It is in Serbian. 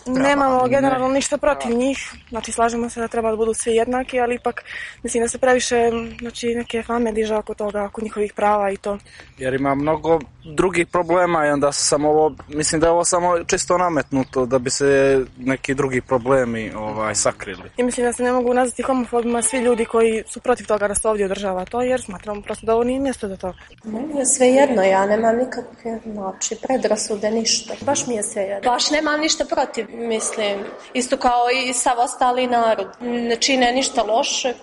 Nemamo generalno ništa protiv njih, znači slažemo se da treba da budu svi jednaki, ali ipak mislim da se previše neke fame diže oko toga, oko njihovih prava i to. Jer ima mnogo drugih problema i onda mislim da je ovo samo čisto nametnuto da bi se neki drugi problemi sakrili. I mislim da se ne mogu nazvati homofobima svi ljudi koji su protiv toga da se ovdje održava to, jer smatramo prosto da ovo nije mjesto za to. Meni je sve jedno, ja nemam nikakve predrasude, ništa. Baš mi je sve jedno. Baš nemam ništa protiv, mislim. Isto kao i sav ostali narod. Ne čine ništa loše.